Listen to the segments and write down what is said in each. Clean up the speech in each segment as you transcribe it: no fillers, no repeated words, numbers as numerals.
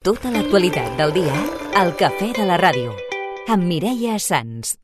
Tota l'actualitat del dia al Cafè de la Ràdio, amb Mireia Sans.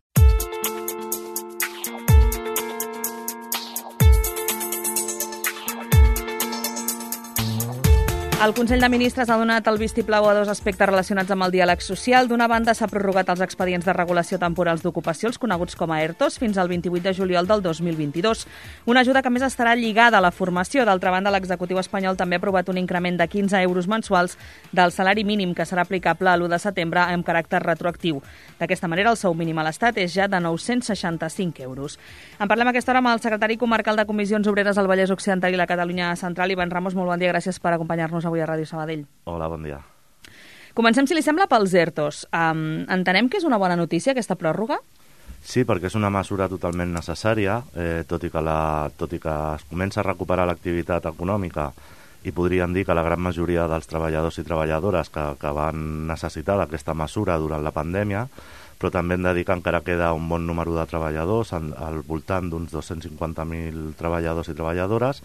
El Consell de Ministres ha donat el vistiplau a dos aspectes relacionats amb el diàleg social. D'una banda, s'ha prorrogat els expedients de regulació temporals d'ocupació, els coneguts com a ERTOs, fins al 28 de juliol del 2022. Una ajuda que, a més, estarà lligada a la formació. D'altra banda, l'executiu espanyol també ha aprovat un increment de 15 euros mensuals del salari mínim, que serà aplicable a l'1 de setembre amb caràcter retroactiu. D'aquesta manera, el sou mínim a l'Estat és ja de 965 euros. En parlem a aquesta hora amb el secretari comarcal de Comissions Obreres al Vallès Occidental i la Catalunya Central, Ivan Ramos. Molt bon dia, gràcies per acompanyar-nos avui a Ràdio Sabadell. Hola, bon dia. Comencem, si li sembla, pels ERTOs. Entenem que és una bona notícia, aquesta pròrroga? Sí, perquè és una mesura totalment necessària, tot i que es comença a recuperar l'activitat econòmica i podríem dir que la gran majoria dels treballadors i treballadores que van necessitar d'aquesta mesura durant la pandèmia, però també hem de dir que encara queda un bon número de treballadors, al voltant d'uns 250.000 treballadors i treballadores,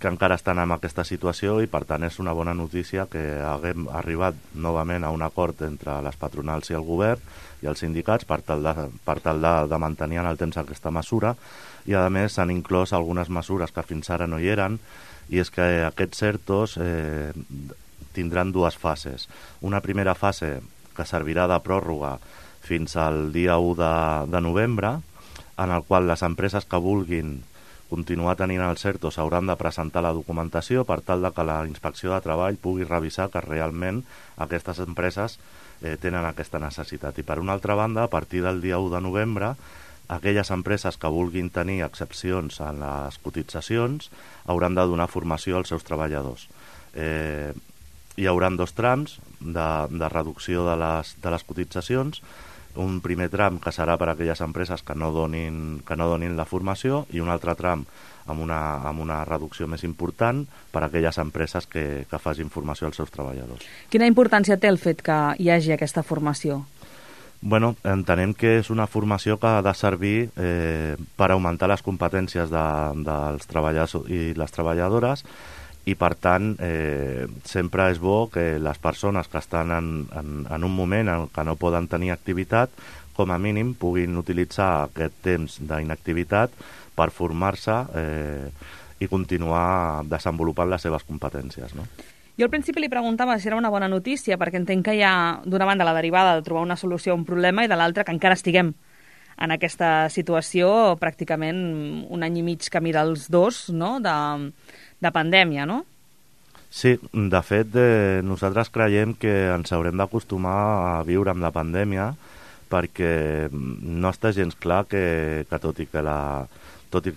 que encara estan en aquesta situació i, per tant, és una bona notícia que haguem arribat novament a un acord entre les patronals i el govern i els sindicats per tal de mantenir en el temps aquesta mesura, i, a més, s'han inclòs algunes mesures que fins ara no hi eren, i és que aquests ERTOs tindran dues fases. Una primera fase que servirà de pròrroga fins al dia 1 de novembre, en el qual les empreses que vulguin continuar tenint els ERTOs hauran de presentar la documentació per tal de que la Inspecció de Treball pugui revisar que realment aquestes empreses tenen aquesta necessitat. I, per una altra banda, a partir del dia 1 de novembre, aquelles empreses que vulguin tenir excepcions en les cotitzacions hauran de donar formació als seus treballadors. Hi haurà dos trams de reducció de les cotitzacions. Un primer tram que serà per a aquelles empreses que no donin la formació, i un altre tram amb una reducció més important per a aquelles empreses que facin formació als seus treballadors. Quina importància té el fet que hi hagi aquesta formació? Bueno, entenem que és una formació que ha de servir per augmentar les competències dels treballadors i les treballadores, i, per tant, sempre és bo que les persones que estan en un moment en què no poden tenir activitat, com a mínim puguin utilitzar aquest temps d'inactivitat per formar-se i continuar desenvolupant les seves competències, no? Jo al principi li preguntava si era una bona notícia, perquè entenc que hi ha, d'una banda, la derivada de trobar una solució a un problema, i de l'altra que encara estiguem en aquesta situació pràcticament un any i mig camí dels dos, no?, de pandèmia, no? Sí, de fet, nosaltres creiem que ens haurem d'acostumar a viure amb la pandèmia, perquè no està gens clar que tot i que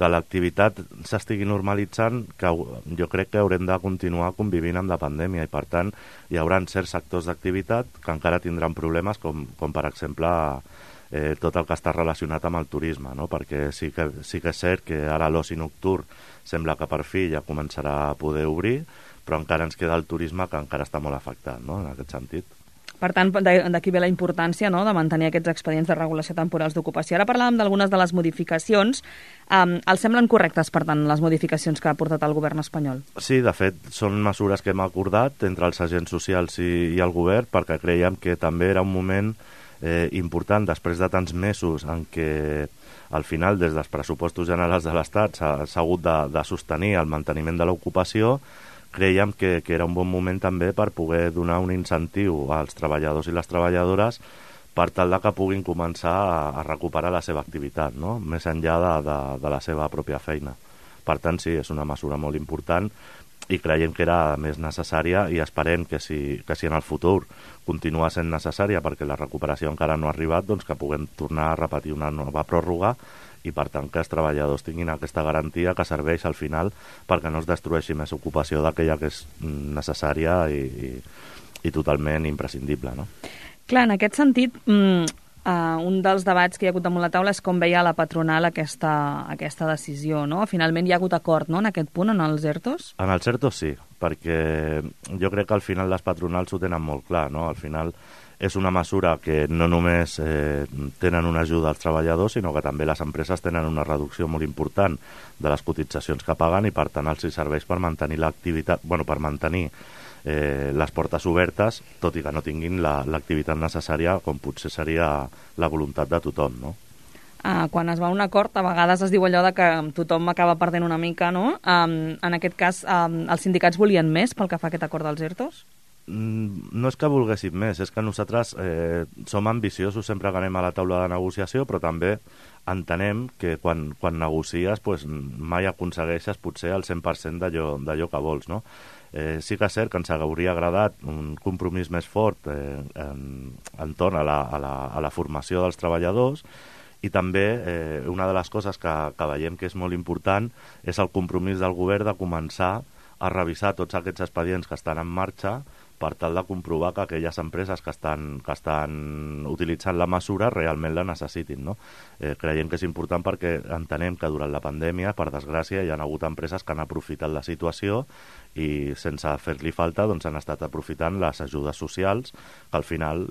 l'activitat s'estigui normalitzant, que jo crec que haurem de continuar convivint amb la pandèmia, i, per tant, hi haurà certs sectors d'activitat que encara tindran problemes, com per exemple, tot el que està relacionat amb el turisme, no? Perquè sí que és cert que ara l'oci nocturn sembla que per fi ja començarà a poder obrir, però encara ens queda el turisme, que encara està molt afectat, no?, en aquest sentit. Per tant, d'aquí ve la importància, no?, de mantenir aquests expedients de regulació temporals d'ocupació. Ara parlàvem d'algunes de les modificacions. Els semblen correctes, per tant, les modificacions que ha portat el govern espanyol? Sí, de fet, són mesures que hem acordat entre els agents socials i el govern, perquè creiem que també era un moment important, després de tants mesos en què al final, des dels pressupostos generals de l'Estat, s'ha hagut de sostenir el manteniment de l'ocupació. Creiem que era un bon moment també per poder donar un incentiu als treballadors i les treballadores per tal que puguin començar a recuperar la seva activitat, no?, més enllà de la seva pròpia feina. Per tant, sí, és una mesura molt important i creiem que era més necessària, i esperem que si en el futur continua sent necessària, perquè la recuperació encara no ha arribat, doncs que puguem tornar a repetir una nova pròrroga, i, per tant, que els treballadors tinguin aquesta garantia que serveix al final perquè no es destrueixi més ocupació d'aquella que és necessària i totalment imprescindible, no? Clar, en aquest sentit, un dels debats que hi ha hagut damunt la taula és com veia la patronal aquesta decisió, no? Finalment hi ha hagut acord, no?, en aquest punt, en els ERTOs? En els ERTOs sí, perquè jo crec que al final les patronals ho tenen molt clar, no? Al final és una mesura que no només tenen una ajuda als treballadors, sinó que també les empreses tenen una reducció molt important de les cotitzacions que paguen, i, per tant, els serveix per mantenir l'activitat, per mantenir les portes obertes, tot i que no tinguin l'activitat necessària, com potser seria la voluntat de tothom, no? Quan es va a un acord, a vegades es diu allò de que tothom acaba perdent una mica, no? En aquest cas, els sindicats volien més pel que fa a aquest acord dels ERTOs? No és que volguéssim més, és que nosaltres som ambiciosos sempre que anem a la taula de negociació, però també entenem que quan negocies mai aconsegueixes potser el 100% d'allò que vols, no? Sí que és cert que ens hauria agradat un compromís més fort entorn a la formació dels treballadors, i també una de les coses que veiem que és molt important és el compromís del govern de començar a revisar tots aquests expedients que estan en marxa per tal de comprovar que aquelles empreses que estan utilitzant la mesura realment la necessitin, no? Creiem que és important perquè entenem que durant la pandèmia, per desgràcia, hi ha hagut empreses que han aprofitat la situació i sense fer-li falta han estat aprofitant les ajudes socials que al final,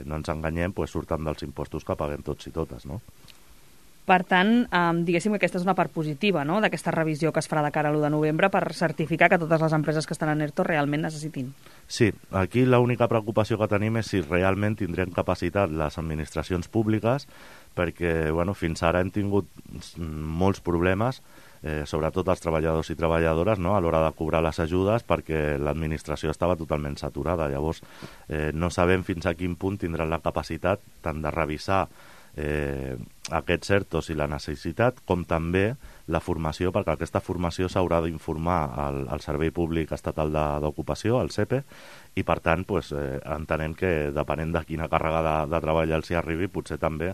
no ens enganyem, surten dels impostos que paguem tots i totes, no? Per tant, diguéssim que aquesta és una part positiva, no?, d'aquesta revisió que es farà de cara a l'1 de novembre per certificar que totes les empreses que estan en ERTO realment necessitin. Sí, aquí l'única preocupació que tenim és si realment tindrem capacitat les administracions públiques, perquè fins ara hem tingut molts problemes, sobretot els treballadors i treballadores, no?, a l'hora de cobrar les ajudes, perquè l'administració estava totalment saturada. Llavors, no sabem fins a quin punt tindran la capacitat tant de revisar aquests ERTOs i la necessitat, com també la formació, perquè aquesta formació s'haurà d'informar al Servei Públic Estatal d'Ocupació, al SEPE, i per tant entenem que depenent de quina càrrega de treball els hi arribi, potser també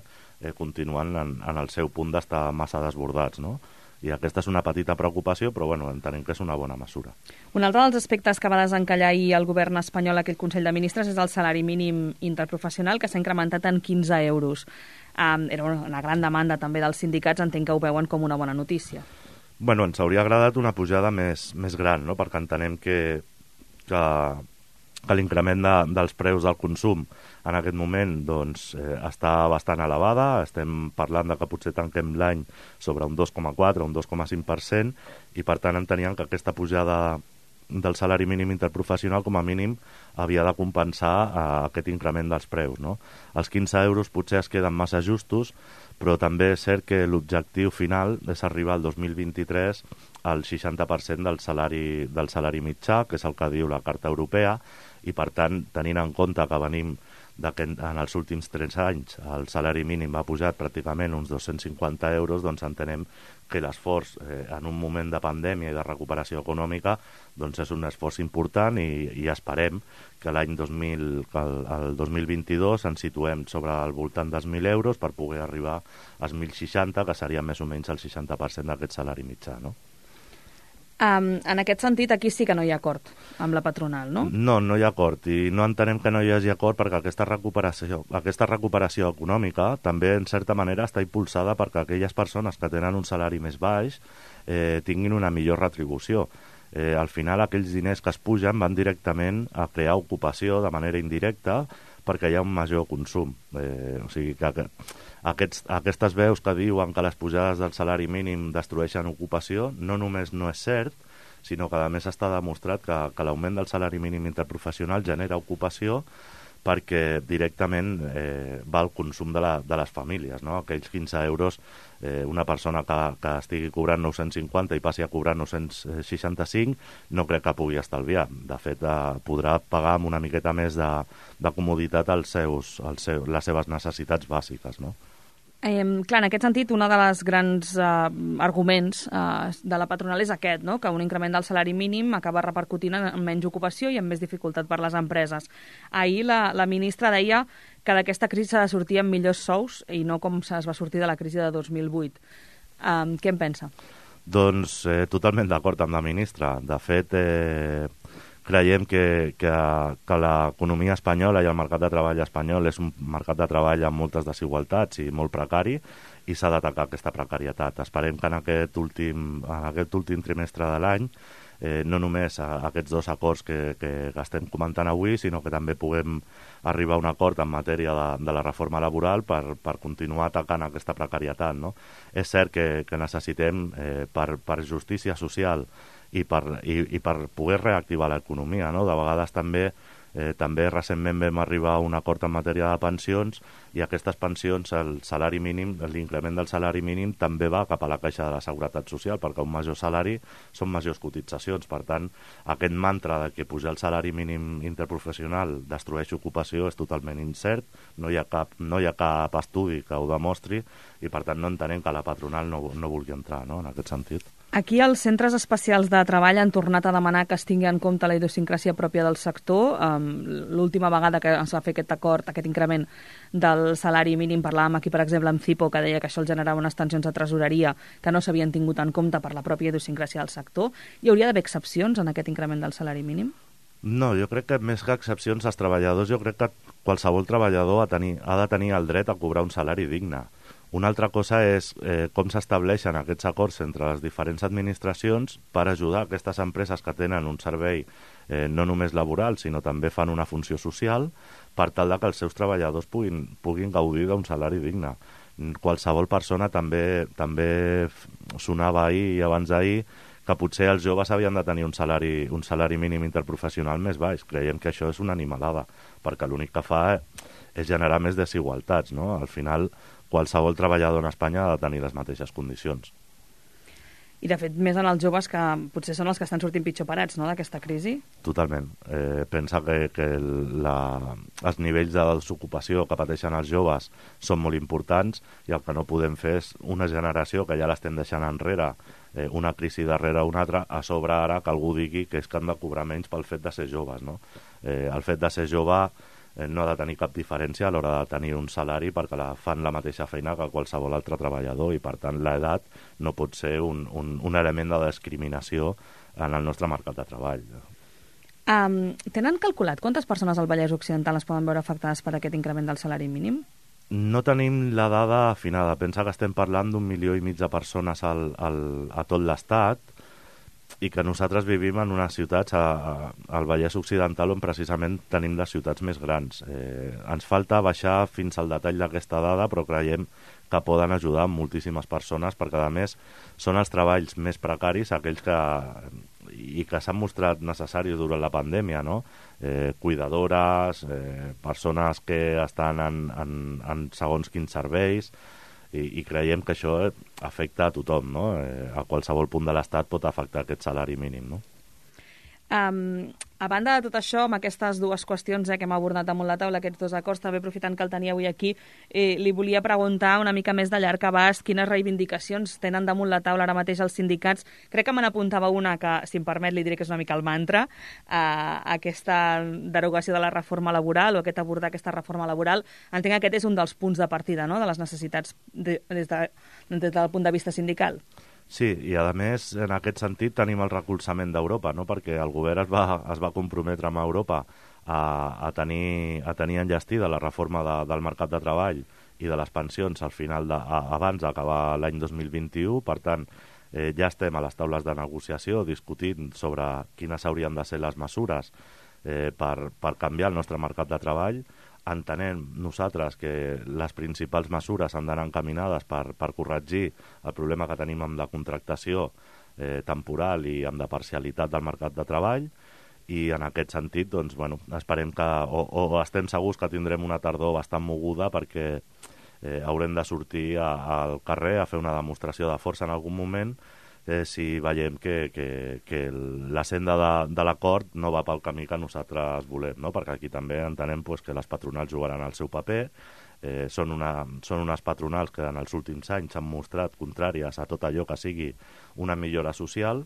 continuen en el seu punt d'estar massa desbordats, no? I aquesta és una petita preocupació, però entenem que és una bona mesura. Un altre dels aspectes que va desencallar ahir el govern espanyol aquell Consell de Ministres és el salari mínim interprofessional, que s'ha incrementat en 15 euros. Era una gran demanda també dels sindicats, entenc que ho veuen com una bona notícia. Ens hauria agradat una pujada més gran, no?, perquè entenem que l'increment dels preus del consum en aquest moment està bastant elevada. Estem parlant de que potser tanquem l'any sobre un 2,4 o un 2,5%, i per tant enteníem que aquesta pujada del salari mínim interprofessional com a mínim havia de compensar aquest increment dels preus, no? Els 15 euros potser es queden massa justos, però també és cert que l'objectiu final és arribar al 2023 al 60% del salari mitjà, que és el que diu la Carta Europea, i per tant, tenint en compte que venim en els últims 3 anys el salari mínim ha pujat pràcticament uns 250 euros, entenem que l'esforç en un moment de pandèmia i de recuperació econòmica és un esforç important, i esperem que el 2022 ens situem sobre al voltant dels 1.000 euros per poder arribar als 1.060, que seria més o menys el 60% d'aquest salari mitjà, no? En aquest sentit, aquí sí que no hi ha acord amb la patronal, no? No hi ha acord, i no entenem que no hi hagi acord perquè aquesta recuperació econòmica també, en certa manera, està impulsada perquè aquelles persones que tenen un salari més baix tinguin una millor retribució. Al final, aquells diners que es pugen van directament a crear ocupació de manera indirecta perquè hi ha un major consum. O sigui que aquestes veus que diuen que les pujades del salari mínim destrueixen ocupació no només no és cert, sinó que a més està demostrat que l'augment del salari mínim interprofessional genera ocupació perquè directament va al consum de les famílies, no? Aquells 15 euros, una persona que estigui cobrant 950 i passi a cobrar 965, no crec que pugui estalviar. De fet, podrà pagar amb una miqueta més de comoditat les seves necessitats bàsiques, no? Clar, en aquest sentit, un dels grans arguments de la patronal és aquest, no?, que un increment del salari mínim acaba repercutint en menys ocupació i en més dificultat per les empreses. Ahir la ministra deia que d'aquesta crisi s'ha de sortir amb millors sous i no com es va sortir de la crisi de 2008. Què en pensa? Doncs totalment d'acord amb la ministra. De fet, creiem que l'economia espanyola i el mercat de treball espanyol és un mercat de treball amb moltes desigualtats i molt precari, i s'ha d'atacar aquesta precarietat. Esperem que en aquest últim trimestre de l'any no només aquests 2 acords que estem comentant avui, sinó que també puguem arribar a un acord en matèria de la reforma laboral per continuar atacant aquesta precarietat, no? És cert que necessitem, per justícia social i per poder reactivar l'economia, no? De vegades també recentment vam arribar a un acord en matèria de pensions i aquestes pensions, el salari mínim, l'increment del salari mínim també va cap a la caixa de la Seguretat Social, perquè un major salari són majors cotitzacions. Per tant, aquest mantra de que pujar el salari mínim interprofessional destrueix ocupació és totalment incert, no hi ha cap estudi que ho demostri i per tant no entenem que la patronal no vulgui entrar, no?, en aquest sentit. Aquí els centres especials de treball han tornat a demanar que es tingui en compte la idiosincràsia pròpia del sector. L'última vegada que es va fer aquest acord, aquest increment del salari mínim, parlàvem aquí, per exemple, amb Cipo, que deia que això generava unes tensions de tresoreria que no s'havien tingut en compte per la pròpia idiosincràsia del sector. Hi hauria d'haver excepcions en aquest increment del salari mínim? No, jo crec que més que excepcions, els treballadors, jo crec que qualsevol treballador ha de tenir el dret a cobrar un salari digne. Una altra cosa és com s'estableixen aquests acords entre les diferents administracions per ajudar aquestes empreses que tenen un servei no només laboral, sinó també fan una funció social, per tal que els seus treballadors puguin gaudir d'un salari digne. Qualsevol persona també sonava ahir i abans d'ahir que potser els joves havien de tenir un salari mínim interprofessional més baix. Creiem que això és una animalada, perquè l'únic que fa és generar més desigualtats, no? Al final, qualsevol treballador en Espanya ha de tenir les mateixes condicions. I, de fet, més en els joves, que potser són els que estan sortint pitjor parats, no?, d'aquesta crisi? Totalment. Pensa que els nivells de desocupació que pateixen els joves són molt importants i el que no podem fer és una generació que ja l'estem deixant enrere, una crisi darrere una altra, a sobre ara que algú digui que és que han de cobrar menys pel fet de ser joves, no? El fet de ser jove no ha de tenir cap diferència a l'hora de tenir un salari perquè fan la mateixa feina que qualsevol altre treballador i, per tant, l'edat no pot ser un element de discriminació en el nostre mercat de treball. Tenen calculat quantes persones al Vallès Occidental es poden veure afectades per aquest increment del salari mínim? No tenim la dada afinada. Pensa que estem parlant d'1,5 milió de persones a tot l'Estat i que nosaltres vivim en unes ciutats al Vallès Occidental on precisament tenim les ciutats més grans. Ens falta baixar fins al detall d'aquesta dada, però creiem que poden ajudar moltíssimes persones perquè, a més, són els treballs més precaris, aquells que s'han mostrat necessaris durant la pandèmia, no? Cuidadores, persones que estan en segons quins serveis, i creiem que això afecta a tothom, no? A qualsevol punt de l'Estat pot afectar aquest salari mínim, no? A banda de tot això, amb aquestes dues qüestions que hem abordat damunt la taula, aquests dos acords, també aprofitant que el tenia avui aquí, li volia preguntar una mica més de llarg abast quines reivindicacions tenen damunt la taula ara mateix els sindicats. Crec que me n'apuntava una que, si em permet, li diré que és una mica el mantra, aquesta derogació de la reforma laboral o abordar aquesta reforma laboral. Entenc que aquest és un dels punts de partida, no?, de les necessitats des del punt de vista sindical. Sí, i a més, en aquest sentit, tenim el recolzament d'Europa, no? Perquè el govern es va comprometre amb Europa a tenir enllestida la reforma del mercat de treball i de les pensions al final abans d'acabar l'any 2021. Per tant, ja estem a les taules de negociació discutint sobre quines haurien de ser les mesures per canviar el nostre mercat de treball. Entenem nosaltres que les principals mesures han d'anar encaminades per corregir el problema que tenim amb la contractació temporal i amb la parcialitat del mercat de treball, i en aquest sentit, doncs, bueno, esperem que, o estem segurs que tindrem una tardor bastant moguda perquè haurem de sortir al carrer a fer una demostració de força en algun moment si veiem que la senda de l'acord no va pel camí que nosaltres volem, no? Perquè aquí també entenem que les patronals jugaran el seu paper, són unes patronals que en els últims anys s'han mostrat contràries a tot allò que sigui una millora social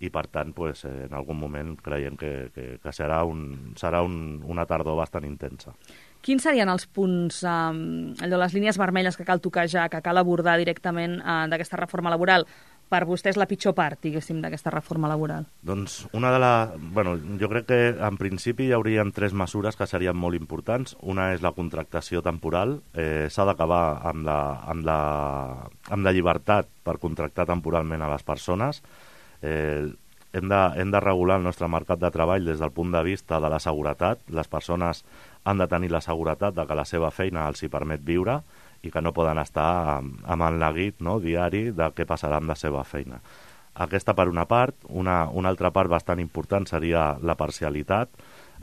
i, per tant, en algun moment creiem que serà una tardor bastant intensa. Quins serien els punts, les línies vermelles que cal tocar ja, que cal abordar directament d'aquesta reforma laboral? Per vostè és la pitjor part, diguéssim, d'aquesta reforma laboral? Doncs jo crec que en principi hi haurien 3 mesures que serien molt importants. Una és la contractació temporal. S'ha d'acabar amb la llibertat per contractar temporalment a les persones. Hem de regular el nostre mercat de treball des del punt de vista de la seguretat. Les persones han de tenir la seguretat de que la seva feina els hi permet viure i que no poden estar amb el neguit, no, diari de què passarà amb la seva feina. Aquesta per una part. Una altra part bastant important seria la parcialitat.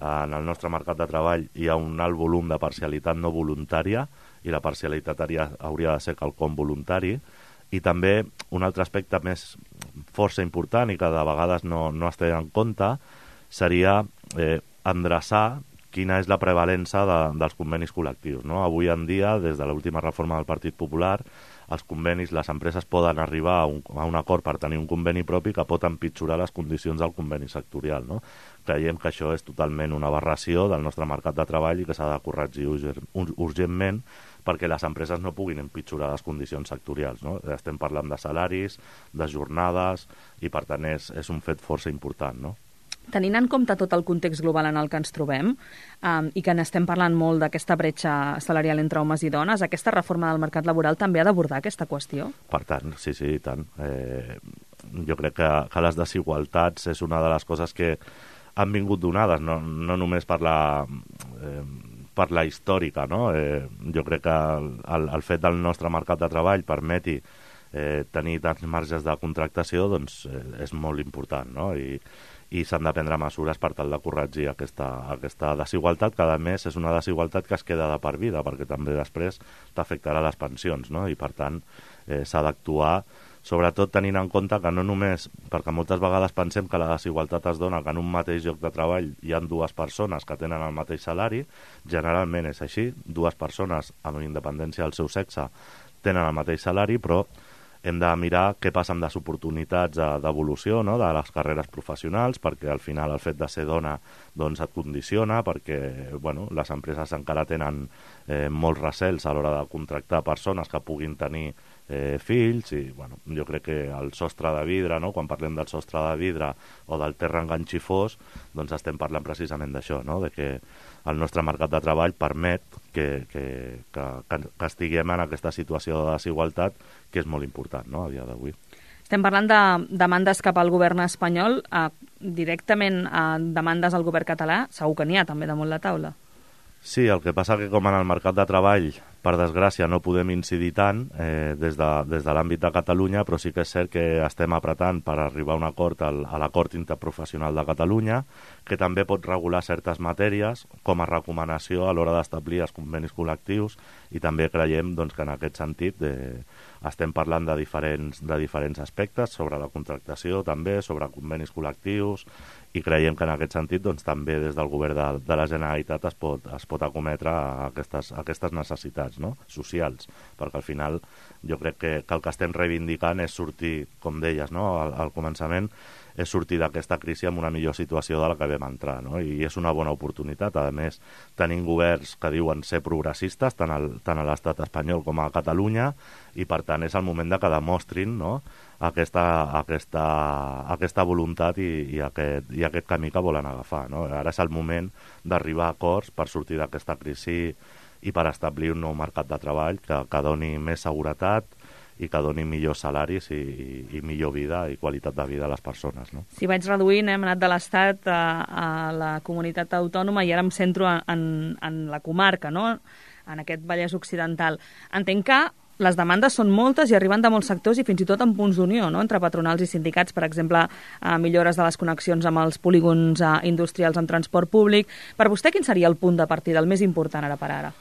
En el nostre mercat de treball hi ha un alt volum de parcialitat no voluntària i la parcialitat hauria de ser quelcom voluntari. I també un altre aspecte més força important i que de vegades no es té en compte seria endreçar quina és la prevalença dels convenis col·lectius, no? Avui en dia, des de l'última reforma del Partit Popular, els convenis, les empreses poden arribar a un acord per tenir un conveni propi que pot empitjorar les condicions del conveni sectorial, no? Creiem que això és totalment una aberració del nostre mercat de treball i que s'ha de corregir urgentment perquè les empreses no puguin empitjorar les condicions sectorials, no? Estem parlant de salaris, de jornades, i per tant és un fet força important, no? Tenint en compte tot el context global en el que ens trobem i que n'estem parlant molt d'aquesta bretxa salarial entre homes i dones, aquesta reforma del mercat laboral també ha d'abordar aquesta qüestió? Per tant, sí, i tant. Jo crec que les desigualtats és una de les coses que han vingut donades, no només per la històrica, no? Jo crec que el fet del nostre mercat de treball permeti tenir tants marges de contractació doncs és molt important, no? I s'han de prendre mesures per tal de corregir aquesta desigualtat, que a més és una desigualtat que es queda de per vida, perquè també després t'afectarà les pensions, no? I per tant s'ha d'actuar, sobretot tenint en compte que no només, perquè moltes vegades pensem que la desigualtat es dona que en un mateix lloc de treball hi ha dues persones que tenen el mateix salari, generalment és així, dues persones amb independència del seu sexe tenen el mateix salari, però hem de mirar què passa amb les oportunitats d'evolució, no?, de les carreres professionals, perquè al final el fet de ser dona doncs, et condiciona, perquè les empreses encara tenen molts recels a l'hora de contractar persones que puguin tenir fills, i jo crec que el sostre de vidre, no?, quan parlem del sostre de vidre o del terra enganxifós, doncs estem parlant precisament d'això, no?, de que el nostre mercat de treball permet que estiguem en aquesta situació de desigualtat que és molt important, no?, a dia d'avui. Estem parlant de demandes cap al govern espanyol, directament a demandes al govern català, segur que n'hi ha també damunt la taula. Sí, el que passa que com en el mercat de treball, per desgràcia, no podem incidir tant des de l'àmbit de Catalunya, però sí que és cert que estem apretant per arribar a un acord a l'acord interprofessional de Catalunya, que també pot regular certes matèries com a recomanació a l'hora d'establir els convenis col·lectius, i també creiem doncs, que en aquest sentit estem parlant de diferents aspectes sobre la contractació, també sobre convenis col·lectius, i creiem que en aquest sentit doncs, també des del govern de la Generalitat es pot acometre a aquestes necessitats, no?, socials, perquè al final jo crec que el que estem reivindicant és sortir, com deies, no?, al començament, és sortir d'aquesta crisi amb una millor situació de la que vam entrar, no?, i és una bona oportunitat. A més, tenim governs que diuen ser progressistes, tant a l'estat espanyol com a Catalunya, i per tant és el moment de que demostrin, no?, aquesta voluntat i aquest camí que volen agafar, no? Ara és el moment d'arribar a acords per sortir d'aquesta crisi i per establir un nou mercat de treball que doni més seguretat i que doni millors salaris i millor vida i qualitat de vida a les persones, no? Si vaig reduint, hem anat de l'Estat a la comunitat autònoma i ara em centro en la comarca, no?, en aquest Vallès Occidental. Entenc que les demandes són moltes i arriben de molts sectors i fins i tot en punts d'unió, no?, entre patronals i sindicats, per exemple, millores de les connexions amb els polígons industrials en transport públic. Per vostè, quin seria el punt de partida, el més important ara per ara?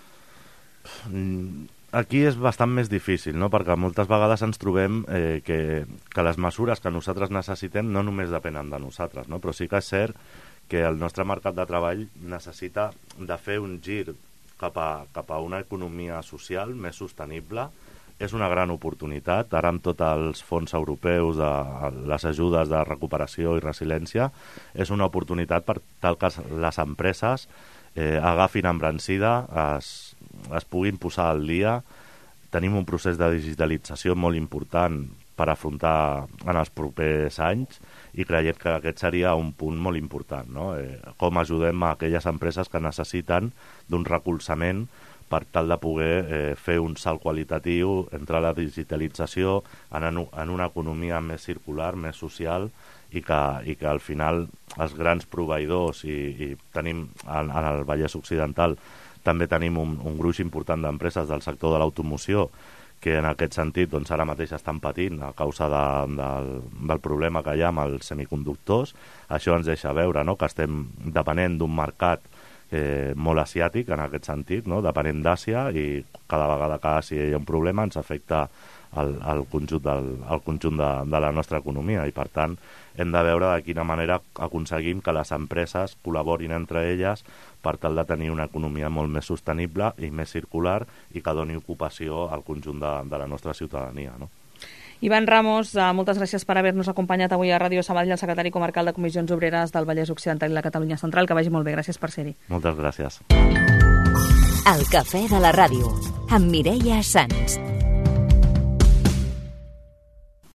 Aquí és bastant més difícil, no?, perquè moltes vegades ens trobem que les mesures que nosaltres necessitem no només depenen de nosaltres, no?, però sí que és cert que el nostre mercat de treball necessita de fer un gir cap a una economia social més sostenible. És una gran oportunitat. Ara amb tots els fons europeus, les ajudes de recuperació i resiliència, és una oportunitat per tal que les empreses agafin embrancida, es puguin posar al dia. Tenim un procés de digitalització molt important per afrontar en els propers anys i creiem que aquest seria un punt molt important, no? Com ajudem a aquelles empreses que necessiten d'un recolzament per tal de poder fer un salt qualitatiu entre la digitalització en una economia més circular, més social, i que al final els grans proveïdors, i tenim en el Vallès Occidental també tenim un gruix important d'empreses del sector de l'automoció que en aquest sentit doncs, ara mateix estan patint a causa del problema que hi ha amb els semiconductors. Això ens deixa veure, no?, que estem depenent d'un mercat molt asiàtic en aquest sentit, no?, depenent d'Àsia, i cada vegada que a Àsia hi ha un problema ens afecta al conjunt de la nostra economia, i per tant hem de veure de quina manera aconseguim que les empreses col·laborin entre elles per tal de tenir una economia molt més sostenible i més circular i que doni ocupació al conjunt de la nostra ciutadania, no? Ivan Ramos, moltes gràcies per haver-nos acompanyat avui a Ràdio Sabadell, el secretari comarcal de Comissions Obreres del Vallès Occidental i la Catalunya Central. Que vagi molt bé, gràcies per ser-hi. Moltes gràcies. El Cafè de la Ràdio, amb Mireia Sans.